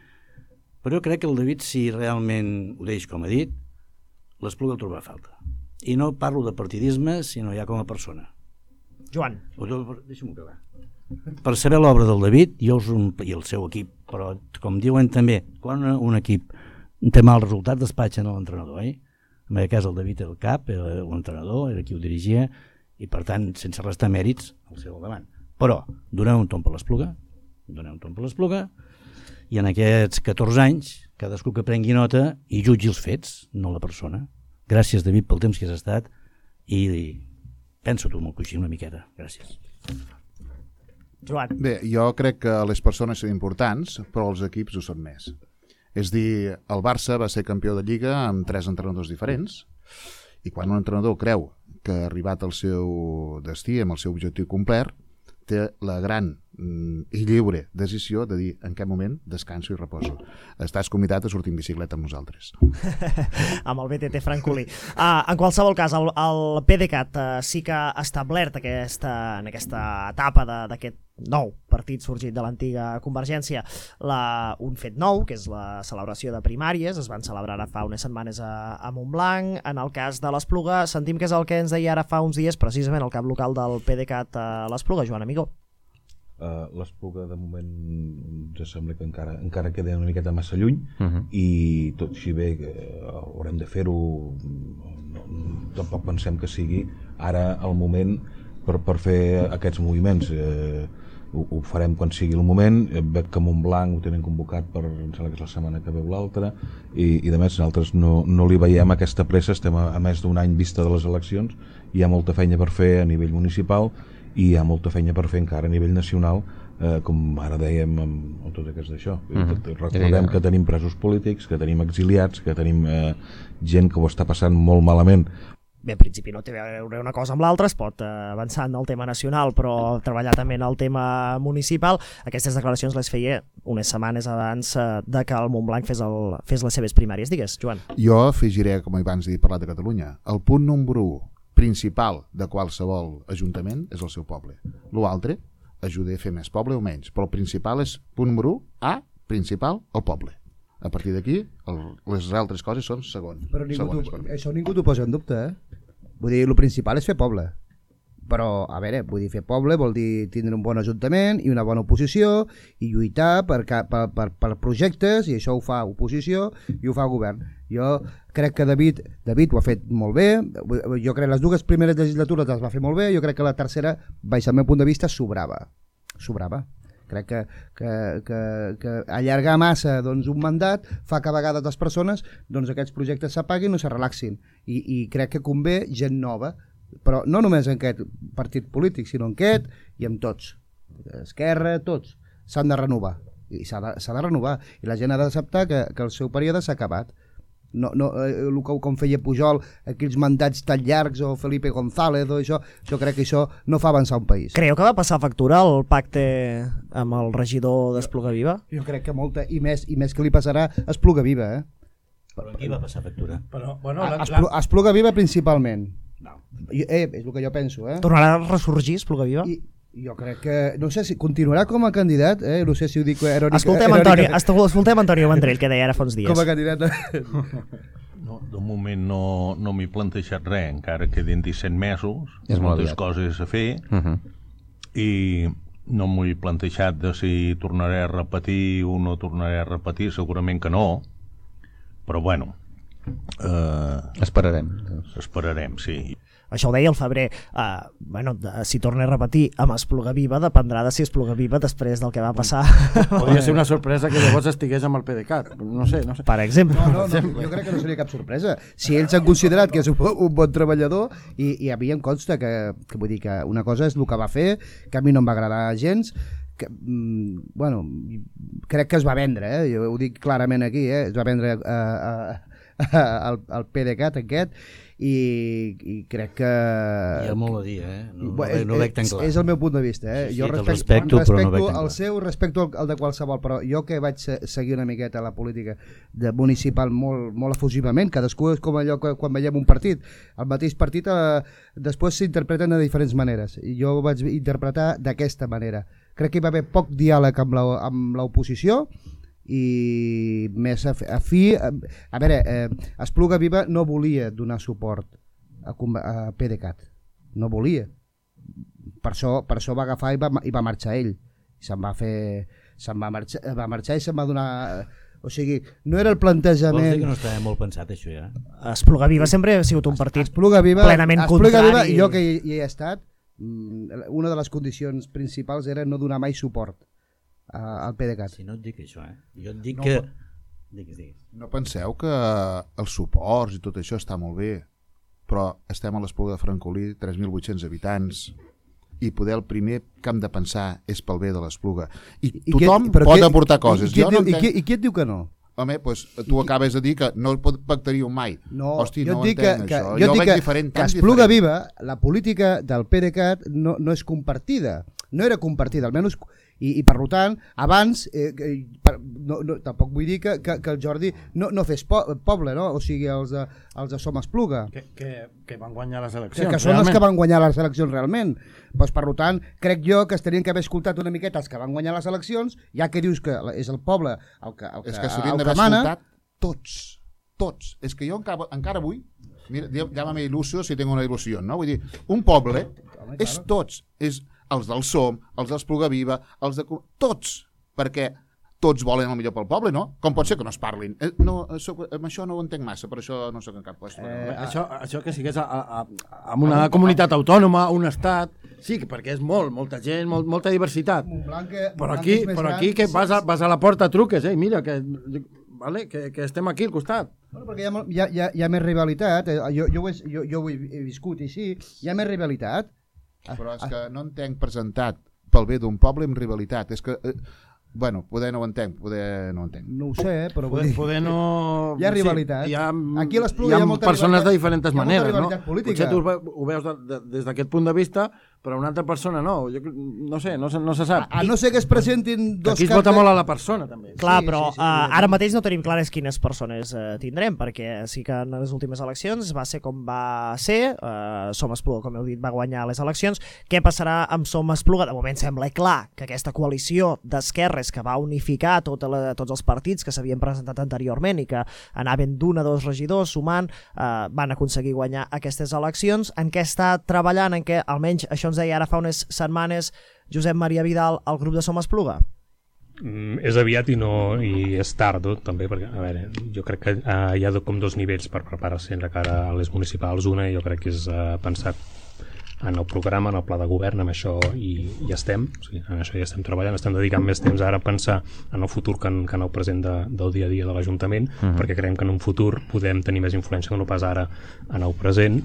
però jo crec que el David, si realment ho deix com ha dit, l'Espluga el trobarà a falta. I no parlo de partidisme, sinó ja com a persona. Joan. Deixa'm acabar. Per saber l'obra del David, i el seu equip, però com diuen també, quan un equip té mal resultat despatxen a l'entrenador, En aquest cas el David era el cap, era l'entrenador, era qui ho dirigia, i per tant, sense restar mèrits, el seu al davant. Però donem un tomb per l'Espluga, i en aquests 14 anys, cadascú que prengui nota i jutgi els fets, no la persona. Gràcies, David, pel temps que has estat, i pensa-t'ho amb el coixí una miqueta. Gràcies. Joan. Bé, jo crec que les persones són importants, però els equips ho són més. És dir, el Barça va ser campió de Lliga amb 3 entrenadors diferents, i quan un entrenador creu que ha arribat al seu destí, amb el seu objectiu complert, té la gran i lliure decisió de dir en què moment descanso i reposo. Estàs convidat a sortir en bicicleta amb nosaltres. Amb el BTT francolí. En qualsevol cas, el PDeCAT sí que ha establert en aquesta etapa d'aquest nou partit sorgit de l'antiga Convergència un fet nou, que és la celebració de primàries. Es van celebrar ara fa unes setmanes a Montblanc. En el cas de l'Espluga, sentim que és el que ens deia ara fa uns dies precisament el cap local del PDeCAT a l'Espluga, Joan Amigó. L'Espluga de moment ens sembla que encara queda una miqueta massa lluny, i tot així bé haurem de fer-ho. Tampoc pensem que sigui ara el moment per fer aquests moviments. Ho farem quan sigui el moment. Veig que Montblanc ho tenen convocat per, em sembla que és la setmana que veu l'altra, i de més nosaltres no li veiem aquesta pressa. Estem a més d'un any vista de les eleccions, hi ha molta feina per fer a nivell municipal i hi ha molta feina per fer encara a nivell nacional, com ara dèiem amb tot aquest d'això. Recordem que tenim presos polítics, que tenim exiliats, que tenim gent que ho està passant molt malament. Bé, en principi no té a veure una cosa amb l'altra, es pot avançar en el tema nacional, però treballar també en el tema municipal. Aquestes declaracions les feia unes setmanes abans de que el Montblanc fes les seves primàries. Digues, Joan. Jo afegiré, com abans he parlat de Catalunya, el punt número 1 principal de qualsevol ajuntament és el seu poble. L'altre ajuda a fer més poble o menys, però el principal és, punt número 1, principal, el poble. A partir d'aquí, les altres coses són segones. Però això ningú t'ho posa en dubte, Vull dir, el principal és fer poble. Però, a veure, vull dir, fer poble vol dir tindre un bon ajuntament i una bona oposició i lluitar per projectes, i això ho fa oposició i ho fa govern. Jo crec que David ho ha fet molt bé. Jo crec que les dues primeres legislatures les va fer molt bé. Jo crec que la tercera, baix al meu punt de vista, sobrava. Crec que allargar massa un mandat fa que a vegades les persones aquests projectes s'apaguin o se relaxin, i crec que convé gent nova, però no només en aquest partit polític, sinó en aquest i en tots, Esquerra, tots s'han de renovar, i s'ha de renovar, i la gent ha d'acceptar que el seu període s'ha acabat. Com feia Pujol, aquells mandats tan llargs, o Felipe González, o això, jo crec que això no fa avançar un país. Creieu que va passar factura el pacte amb el regidor d'Espluga Viva? Jo crec que molta, i més que li passarà a Espluga Viva. Però qui va passar factura? A Espluga Viva principalment. És el que jo penso. Tornarà a ressorgir Espluga Viva? Jo crec que, no sé si continuarà com a candidat, no sé si ho dic irònicament. Escoltem Antonio Vendrell, que deia ara fa uns dies. Com a candidat. De moment no m'he plantejat res, encara queden 17 mesos, moltes coses a fer, i no m'ho he plantejat de si tornaré a repetir o no tornaré a repetir, segurament que no, però bueno. Esperarem, sí. Això ho deia el Febrer. Si torna a repetir amb Espluga Viva, dependrà de si Espluga Viva després del que va passar. Podria ser una sorpresa que llavors estigués amb el PDeCAT. No sé. Per exemple. No, jo crec que no seria cap sorpresa. Si ells han considerat que és un bon treballador, i a mi em consta que vull dir que una cosa és el que va fer, que a mi no em va agradar gens, crec que es va vendre, jo ho dic clarament aquí, es va vendre al PDeCAT aquest, i crec que... Hi ha molt a dir, no veig tan clar. És el meu punt de vista, Sí, jo respecto, però no veig tan clar. el seu, respecto el de qualsevol, però jo que vaig seguir una miqueta la política municipal molt efusivament, cadascú és com allò que quan veiem un partit, el mateix partit després s'interpreten de diferents maneres, i jo ho vaig interpretar d'aquesta manera. Crec que hi va haver poc diàleg amb l'oposició, i més a fi, a veure, Espluga Viva no volia donar suport a PDeCAT, no volia, per això va agafar i va marxar ell, va marxar i se'n va donar, o sigui, no era el plantejament. Vols dir que no estava molt pensat això ja? Espluga Viva sempre ha sigut un partit plenament contrari. Jo que hi he estat, una de les condicions principals era no donar mai suport al PDeCAT. Si no et dic això, jo et dic que... Digues. No penseu que els suports i tot això està molt bé, però estem a l'Espluga de Francolí, 3.800 habitants, i poder el primer que hem de pensar és pel bé de l'Espluga. I tothom pot aportar coses. I qui et diu que no? Home, doncs tu acabes de dir que no pactaríeu mai. No, hosti, jo no dic entenc això. Jo veig diferent, que Espluga Viva, la política del PDeCAT no és compartida. No era compartida, almenys... I per tant, abans, tampoc vull dir que el Jordi no fes poble, no? O sigui, els de Som Espluga. Que van guanyar les eleccions. Que són els que van guanyar les eleccions realment. Doncs, per tant, crec jo que es tenien que haver escoltat una miqueta els que van guanyar les eleccions, ja que dius que és el poble el que mana. És que s'haurien d'haver escoltat tots. És que jo encara avui, mira, llámame il·lusió si tengo una il·lusió, no? Vull dir, un poble és tots, és els del Som, els d'Espluga Viva, els de... tots, perquè tots volen el millor pel poble, no? Com pot ser que no es parlin? Amb això no ho entenc massa, per això no soc en cap qüestió. Això que sigués en una comunitat autònoma, un estat, sí, perquè és molta gent, molta diversitat. Però aquí que vas a la porta truques, mira, que estem aquí al costat. Bueno, perquè hi ha més rivalitat, jo ho he viscut així, hi ha més rivalitat. Però és que no entenc presentat pel bé d'un poble amb rivalitat. És que, bueno, poder no ho entenc, No ho sé, però poder no... Hi ha rivalitat. Aquí a l'Espluga hi ha molta persones de diferents maneres, no? Potser tu ho veus des d'aquest punt de vista, però una altra persona no. No sé, no se sap. A no ser que es presentin dos... Aquí es vota molt a la persona, també. Clar, però ara mateix no tenim clares quines persones tindrem, perquè sí que en les últimes eleccions va ser com va ser, Som Espluga, com heu dit, va guanyar les eleccions. Què passarà amb Som Espluga? De moment sembla clar que aquesta coalició d'esquerres que va unificar tots els partits que s'havien presentat anteriorment i que anaven d'un a dos regidors sumant, van aconseguir guanyar aquestes eleccions. En què està treballant, en què almenys això ens deia ara fa unes setmanes Josep Maria Vidal al grup de Som Espluga? És aviat i és tard també, perquè a veure, jo crec que hi ha com dos nivells per preparar-se de cara a les municipals. Una jo crec que és pensat en el programa, en el pla de govern, amb això i ja estem, o sigui, en això ja estem treballant, estem dedicant més temps ara a pensar en el futur que en el present del dia a dia de l'Ajuntament, perquè creiem que en un futur podem tenir més influència que no pas ara en el present.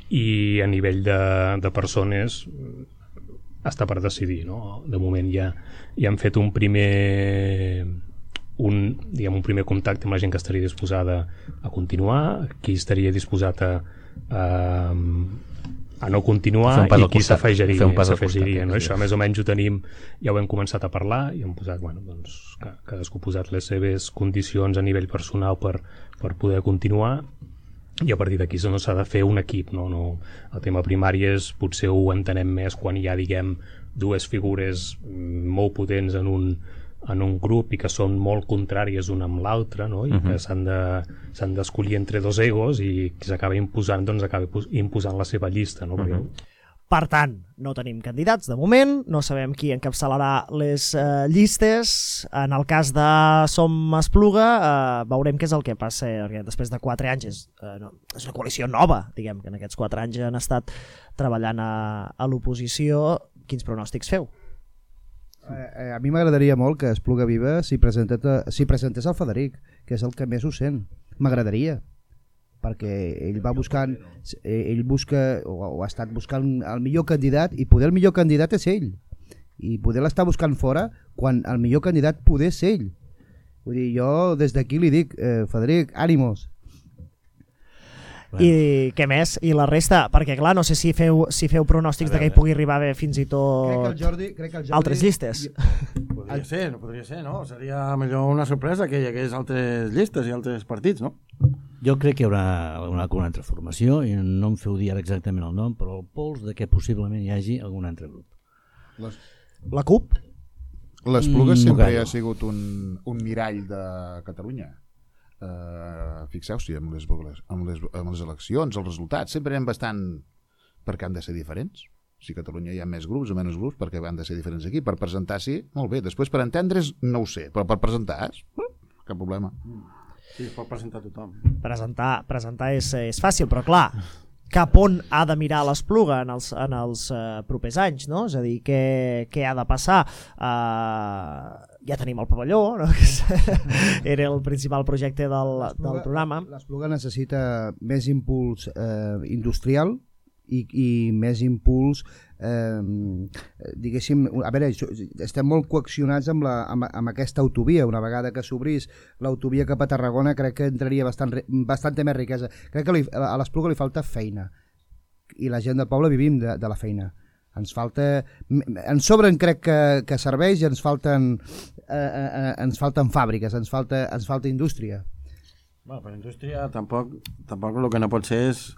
I a nivell de persones està per decidir, no? De moment ja hem fet un primer contacte amb la gent que estaria disposada a continuar, qui estaria disposat a no continuar i qui s'afegiria, no? Això més o menys ho tenim, ja ho hem començat a parlar i hem posat, que cadascú ha posat les seves condicions a nivell personal per poder continuar, i a partir d'aquí no s'ha de fer un equip, no? El tema primari potser ho entenem més quan hi ha, diguem, dues figures molt potents en un grup i que són molt contràries una amb l'altra, no? I que s'han d'escollir entre dos egos i qui s'acaba imposant, acaba imposant la seva llista, no? Per tant, no tenim candidats de moment, no sabem qui encapçalarà les llistes. En el cas de Som Espluga veurem què és el que passa, perquè després de 4 anys és una coalició nova, diguem, que en aquests 4 anys han estat treballant a l'oposició. Quins pronòstics feu? A mi m'agradaria molt que Espluga Viva s'hi presentés el Federic, que és el que més ho sent. M'agradaria, perquè ell busca o ha estat buscant el millor candidat, i poder el millor candidat és ell, i poder l'estar buscant fora quan el millor candidat poder ser ell. Vull dir, jo des d'aquí li dic, Federic, ànimos. I què més? I la resta? Perquè clar, no sé si feu pronòstics de que hi pugui arribar a haver fins i tot altres llistes. Podria ser, no? Seria millor una sorpresa que hi hagués altres llistes i altres partits, no? Jo crec que hi haurà alguna altra formació, i no em feu dir ara exactament el nom, però el pols de que possiblement hi hagi algun altre grup. La CUP? L'Espluga sempre ha sigut un mirall de Catalunya. Fixeu-s'hi amb les eleccions, els resultats sempre eren bastant, perquè han de ser diferents. Si a Catalunya hi ha més grups o menys grups, perquè han de ser diferents aquí. Per presentar, sí, molt bé. Després per entendre's no ho sé, però per presentar cap problema. Sí, es pot presentar tothom. Presentar és fàcil, però clar, cap on ha de mirar l'Espluga en els propers anys, no? És a dir, què ha de passar? Ja tenim el pavelló, no? Era el principal projecte del programa. L'Espluga necessita més impuls industrial i més impuls, diguéssim, a veure, estem molt coaccionats amb aquesta autovia. Una vegada que s'obrís l'autovia cap a Tarragona, crec que entraria bastanta més riquesa. Crec que a l'Espluga li falta feina, i la gent del poble vivim de la feina. Ens sobren, crec, que serveis, i ens falten fàbriques, ens falta indústria. Per indústria tampoc el que no pot ser és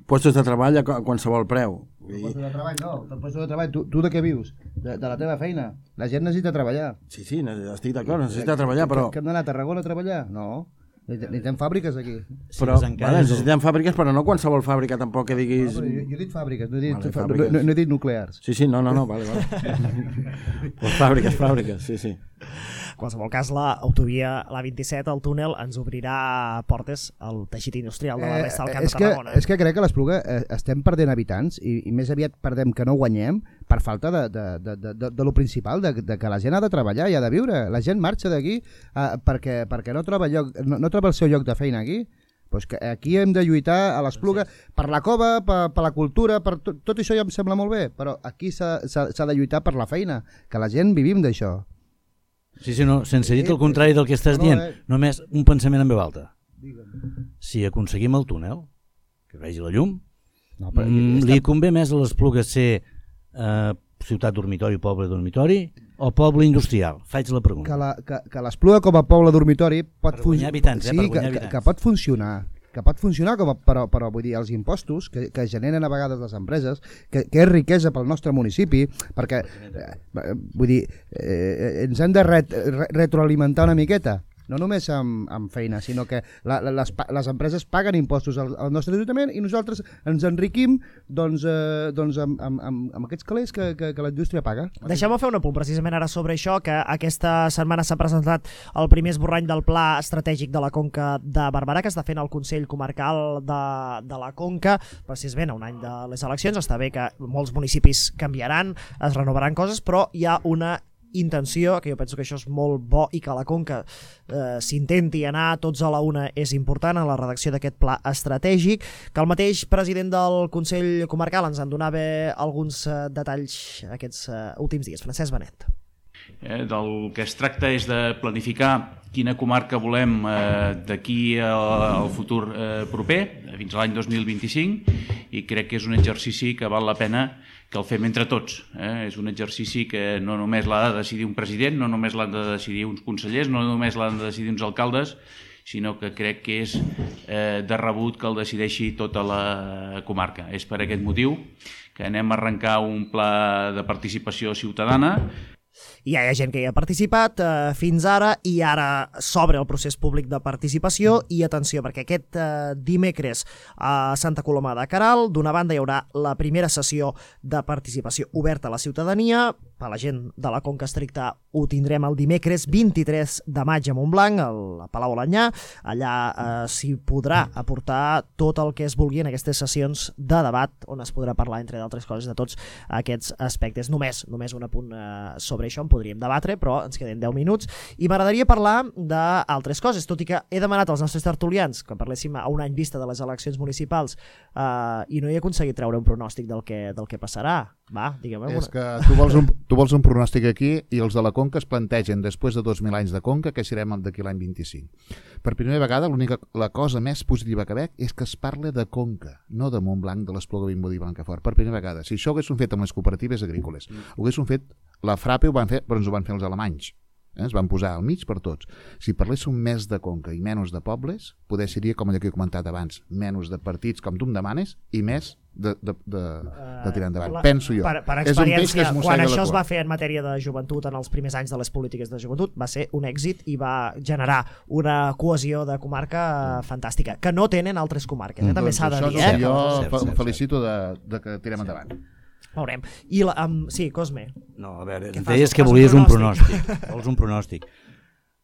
puestos de treball a qualsevol preu. Puestos de treball no, puestos de treball, tu de què vius? De la teva feina. La gent necessita treballar. Sí, estic d'acord, necessita treballar, però... Que hem d'anar a Tarragona a treballar? No. Necessitem fàbriques aquí. Però necessitem fàbriques, però no qualsevol fàbrica tampoc que diguis... Jo he dit fàbriques, no he dit nuclears. Sí, no, vale. Pues fàbriques, sí. En qualsevol cas, l'autovia, la 27, el túnel, ens obrirà portes al teixit industrial de la resta del Camp de Tarragona. És que crec que a l'Espluga estem perdent habitants, i més aviat perdem que no guanyem per falta de lo principal, de que la gent ha de treballar i ha de viure. La gent marxa d'aquí perquè no troba el seu lloc de feina aquí. Pues que aquí hem de lluitar a l'Espluga per la cova, per la cultura, per tot això ja em sembla molt bé, però aquí s'ha de lluitar per la feina, que la gent vivim d'això. Sí, no, sense dir el contrari del que estàs dient, només un pensament en veu alta. Si aconseguim el túnel, que vegi la llum, li convé més a l'Espluga ser ciutat dormitori, poble dormitori, o poble industrial? Faig la pregunta. Que l'Espluga com a poble dormitori pot guanyar habitants, que pot funcionar, però vull dir, els impostos que generen a vegades les empreses, que és riquesa pel nostre municipi, perquè vull dir, ens hem de retroalimentar una miqueta, no només amb feina, sinó que les empreses paguen impostos al nostre ajuntament i nosaltres ens enriquim amb aquests calés que la indústria paga. Deixem-me fer un apunt precisament ara sobre això, que aquesta setmana s'ha presentat el primer esborrany del Pla Estratègic de la Conca de Barberà, que està fent el Consell Comarcal de la Conca, precisament a un any de les eleccions. Està bé que molts municipis canviaran, es renovaran coses, però hi ha una intenció, que jo penso que això és molt bo, i que a la Conca s'intenti anar tots a la una és important en la redacció d'aquest pla estratègic, que el mateix president del Consell Comarcal ens en donava alguns detalls aquests últims dies. Francesc Benet. Del que es tracta és de planificar quina comarca volem d'aquí al futur proper, fins a l'any 2025, i crec que és un exercici que val la pena que el fem entre tots. És un exercici que no només l'ha de decidir un president, no només l'han de decidir uns consellers, no només l'han de decidir uns alcaldes, sinó que crec que és de rebut que el decideixi tota la comarca. És per aquest motiu que anem a arrencar un pla de participació ciutadana. Hi ha gent que hi ha participat fins ara, i ara s'obre el procés públic de participació. I atenció, perquè aquest dimecres a Santa Coloma de Queralt, d'una banda hi haurà la primera sessió de participació oberta a la ciutadania. Per la gent de la Conca Estricta ho tindrem el dimecres 23 de maig a Montblanc, al Palau Alanyà. Allà s'hi podrà aportar tot el que es vulgui en aquestes sessions de debat, on es podrà parlar, entre d'altres coses, de tots aquests aspectes. Només un apunt sobre això, en podríem debatre, però ens queden 10 minuts. I m'agradaria parlar d'altres coses, tot i que he demanat als nostres tertulians que parléssim a un any vista de les eleccions municipals, i no he aconseguit treure un pronòstic del que passarà. Va, digue'm. És que tu vols un pronòstic aquí i els de la Conca es plantegen després de 2.000 anys de Conca que serem d'aquí l'any 25. Per primera vegada la cosa més positiva que veig és que es parla de Conca, no de Montblanc, de l'Espluga, Vimbodí i Blancafort. Per primera vegada. Si això ho haguessin fet amb les cooperatives agrícoles, ho haguessin fet, la FRAPE ho van fer, però ens ho van fer els alemanys. Es van posar al mig per tots. Si parléssim més de Conca i menys de pobles, poder seria, com ja que he comentat abans, menys de partits com tu em demanes i més de tirar endavant. Penso jo. Per experiència, quan això es va fer en matèria de joventut en els primers anys de les polítiques de joventut, va ser un èxit i va generar una cohesió de comarca fantàstica, que no tenen altres comarques. També s'ha de dir. Jo em felicito de que tirem endavant. Veurem. Sí, Cosme. No, a veure, deies que volies un pronòstic. Vols un pronòstic.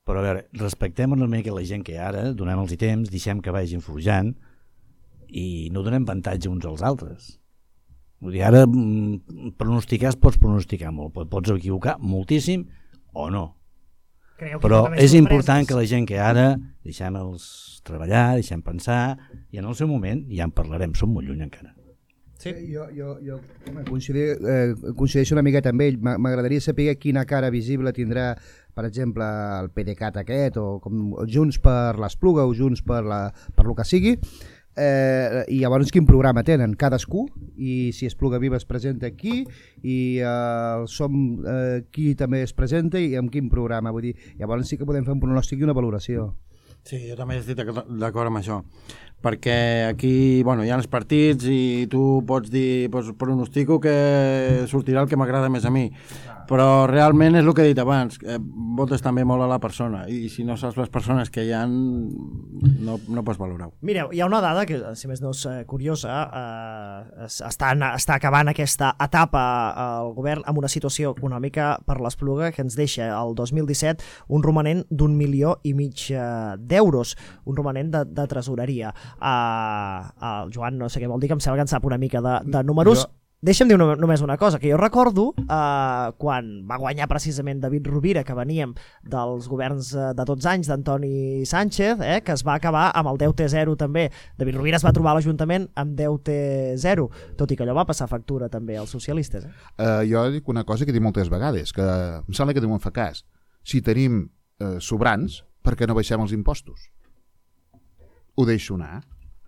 Però a veure, respectem una mica la gent que ara, donem-los temps, deixem que vagin forjant i no donem avantatge uns als altres. Vull dir, ara pronosticar es pots pronosticar molt, pots equivocar moltíssim o no. Però és important que la gent que ara deixem-los treballar, deixem pensar i en el seu moment ja en parlarem, som molt lluny encara. Sí. Jo coincideixo una miqueta amb ell. M'agradaria saber quina cara visible tindrà, per exemple, el PDeCAT aquest, o com Junts per l'Espluga o Junts per lo que sigui, i llavors quin programa tenen cadascú, i si Espluga Viva es presenta aquí i Som qui també es presenta i amb quin programa. Vull dir, llavors sí que podem fer un pronòstic i una valoració. Sí, jo també estic d'acord amb això, perquè aquí hi ha els partits i tu pots dir, pronostico que sortirà el que m'agrada més a mi, però realment és el que he dit abans, votes també molt a la persona, i si no saps les persones que hi ha no pots valorar-ho. Mireu, hi ha una dada que, si més no és curiosa, està acabant aquesta etapa al govern amb una situació econòmica per l'Espluga que ens deixa el 2017 un romanent d'1,5 milió d'euros, un romanent de tresoreria. El Joan no sé què vol dir, que em sembla que en sap una mica de números. Deixa'm dir només una cosa, que jo recordo quan va guanyar precisament David Rovira, que veníem dels governs de 12 anys d'Antoni Sánchez, que es va acabar amb el deute zero també. David Rovira es va trobar a l'Ajuntament amb deute zero, tot i que allò va passar factura també als socialistes. Jo dic una cosa que he dit moltes vegades, que em sembla que ningú en fa cas. Si tenim sobrants, per què no baixem els impostos? Ho deixo anar.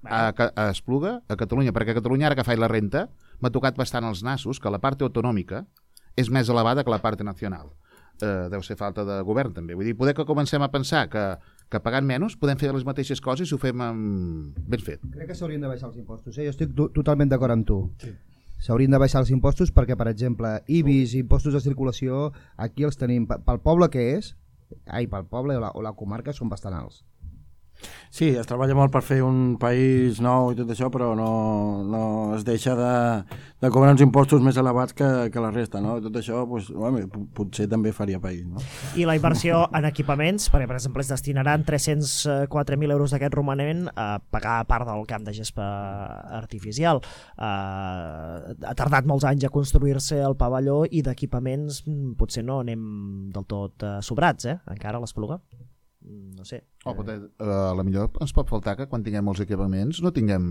A Espluga, a Catalunya, perquè a Catalunya ara que faig la renta m'ha tocat bastant els nassos que la part autonòmica és més elevada que la part nacional. Deu ser falta de govern també. Vull dir, poder que comencem a pensar que pagant menys podem fer les mateixes coses i ho fem ben fet. Crec que s'haurien de baixar els impostos. Jo estic totalment d'acord amb tu. Sí. S'haurien de baixar els impostos perquè, per exemple, IBIs, impostos de circulació, aquí els tenim pel poble que és, pel poble o la comarca són bastant alts. Sí, es treballa molt per fer un país nou i tot això, però no es deixa de cobrar uns impostos més elevats que la resta, no? Tot això potser també faria país, no? I la inversió en equipaments, perquè per exemple es destinaran 304.000 euros d'aquest romanent a pagar part del camp de gespa artificial. Ha tardat molts anys a construir-se el pavelló i d'equipaments potser no anem del tot sobrats, encara a l'Espluga. No sé. A la millor ens pot faltar que quan tinguem els equipaments no tinguem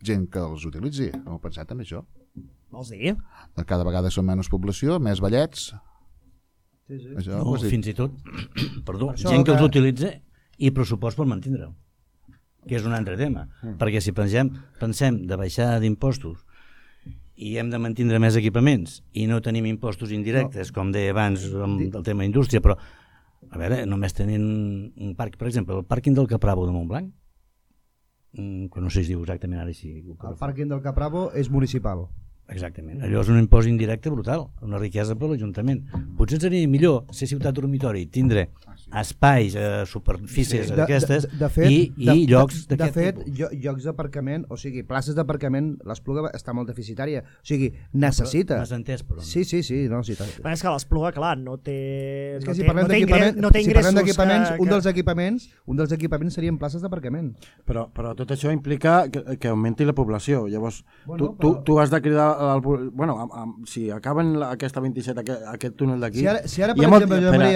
gent que els utilitzi. Heu pensat en això? Vols dir? Cada vegada són menys població, més ballets. Sí. Això, fins i tot, perdó, gent que els utilitza i pressupost per mantenir-ho, que és un altre tema. Perquè si pensem de baixar d'impostos i hem de mantenir més equipaments i no tenim impostos indirectes, com deia abans amb el tema indústria, però a veure, només tenint un parc, per exemple, el pàrquing del Capravo de Montblanc, que no sé si es diu exactament ara així. El pàrquing del Capravo és municipal. Exactament, allò és un impost indirecte brutal, una riquesa per l'Ajuntament. Potser seria millor ser ciutat dormitori, tindre espais, superfícies d'aquestes i llocs d'aquest tipus. De fet, llocs d'aparcament, o sigui, places d'aparcament, l'Espluga està molt deficitària, o sigui, necessita. M'has entès, però. Sí, no, sí. Però és que l'Espluga, clar, no té ingressos. Si parlem d'equipaments, un dels equipaments serien places d'aparcament. Però tot això implica que augmenti la població, llavors tu has de cridar si acaben aquesta 27 aquest túnel d'aquí, si ara per exemple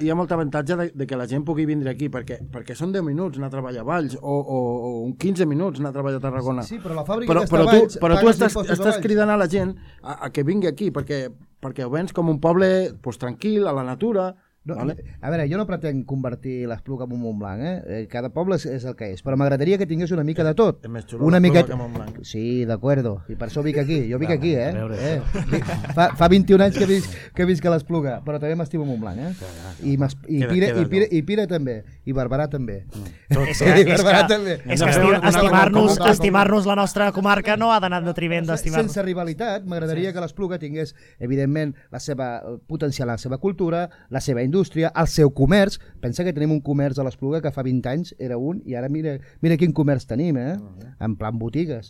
hi ha molt avantatge de que la gent pugui vindre aquí, perquè són 10 minuts anar a treballar a Valls o 15 minuts anar a treballar a Tarragona. Sí, però la fàbrica que està a Valls, però tu estàs cridant a la gent a que vingui aquí, perquè perquè ho vens com un poble tranquil, a la natura. No, vale. A veure, jo no pretenc convertir l'Espluga en un Montblanc, cada poble és el que és, però m'agradaria que tingués una mica de tot. És més xulo l'Espluga que Montblanc. Sí, d'acuerdo, i per això vinc aquí, jo vinc aquí, Fa 21 anys que visc a l'Espluga, però també m'estimo Montblanc, i Pira també, i Barberà també. És que estimar-nos la nostra comarca no ha d'anar de triment d'estimar-nos. Sense rivalitat, m'agradaria que l'Espluga tingués, evidentment, la seva potencial, la seva cultura, la seva indústria, el seu comerç. Pensa que tenim un comerç a l'Espluga que fa 20 anys era un, i ara mira quin comerç tenim, en plan botigues.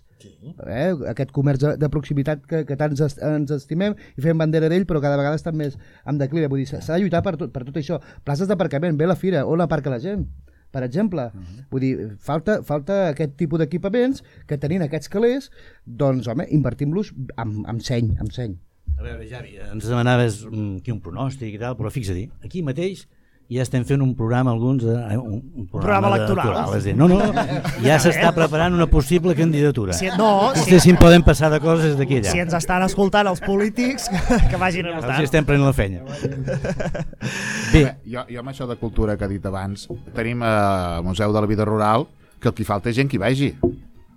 Aquest comerç de proximitat que tant ens estimem i fem bandera d'ell, però cada vegada està més en declivi. Vull dir, s'ha de lluitar per tot això. Places d'aparcament, ve la fira, on aparca la gent? Per exemple, vull dir, falta aquest tipus d'equipaments que tenint aquests calés, doncs, home, invertim-los amb seny. A veure, Javi, ens demanaves aquí un pronòstic i tal, però fixa-t'hi, aquí mateix ja estem fent un programa, un programa electoral. No, ja s'està preparant una possible candidatura. Vostès si en poden passar de coses d'aquí allà. Si ens estan escoltant els polítics, que vagin a votar. Els estem prenent la feina. Bé, jo amb això de cultura que ha dit abans, tenim al Museu de la Vida Rural que el que falta és gent que hi vagi.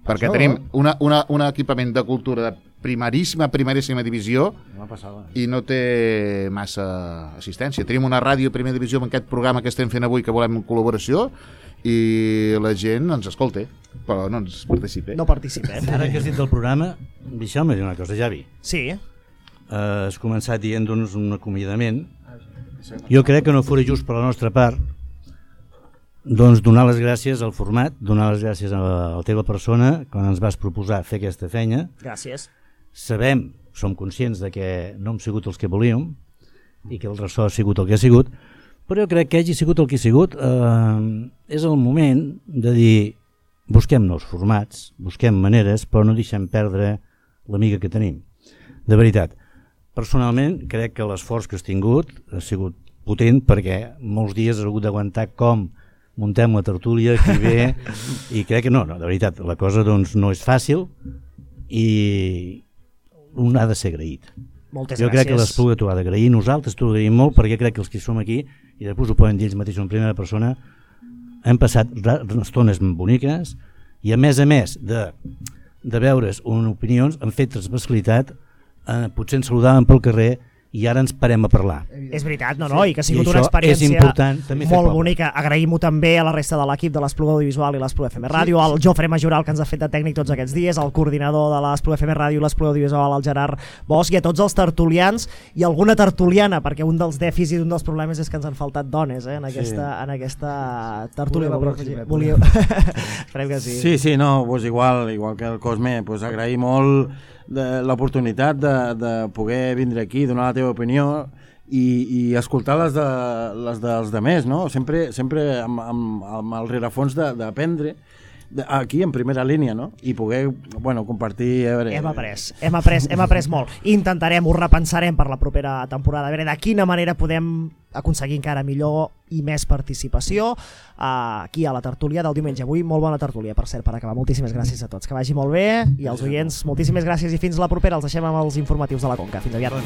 Perquè tenim un equipament de cultura de primeríssima divisió i no té massa assistència. Tenim una ràdio primera divisió amb aquest programa que estem fent avui, que volem col·laboració, i la gent ens escolta, però no ens participa. No participem. Ara que has dit del programa, deixeu-me dir una cosa, Javi. Sí. Has començat dient-nos un acomiadament. Jo crec que no fos just per la nostra part doncs donar les gràcies al format, donar les gràcies a la teva persona quan ens vas proposar fer aquesta feina. Gràcies. Som conscients de que no hem sigut els que volíem i que el ressò ha sigut el que ha sigut, però jo crec que hagi sigut el que ha sigut és el moment de dir busquem nous formats, busquem maneres, però no deixem perdre l'amiga que tenim. De veritat, personalment crec que l'esforç que has tingut ha sigut potent perquè molts dies has hagut d'aguantar com muntem la tertúlia, qui ve, i crec que no, de veritat, la cosa doncs no és fàcil i un ha de ser agraït. Moltes jo crec que l'Espluga t'ho ha d'agrair, nosaltres t'ho agraïm molt perquè crec que els que som aquí, i després ho poden dir ells mateixos en primera persona, hem passat estones boniques i a més de veure's opinions han fet transversalitat, potser ens saludaven pel carrer i ara ens parem a parlar. És veritat, i que ha sigut una experiència molt bonica. Agraïm-ho també a la resta de l'equip de l'Espluga Audiovisual i l'Espluga FM Ràdio, al Jofre Majoral, que ens ha fet de tècnic tots aquests dies, al coordinador de l'Espluga FM Ràdio i l'Espluga Audiovisual, el Gerard Bosch, i a tots els tertulians i alguna tertuliana, perquè un dels dèficits i un dels problemes és que ens han faltat dones en aquesta tertúlia. Esperem que sí. Sí, igual que el Cosme, agrair molt l'oportunitat de poder vindre aquí, donar la teva opinió i escoltar les dels demés, no? Sempre amb el rerefons d'aprendre aquí en primera línia, no? I poder compartir... Hem après molt. Intentarem, ho repensarem per la propera temporada, a veure de quina manera podem aconseguir encara millor i més participació aquí a la tertúlia del diumenge. Avui molt bona tertúlia, per cert, per acabar. Moltíssimes gràcies a tots, que vagi molt bé, i als oients moltíssimes gràcies i fins la propera. Els deixem amb els informatius de la Conca. Fins aviat.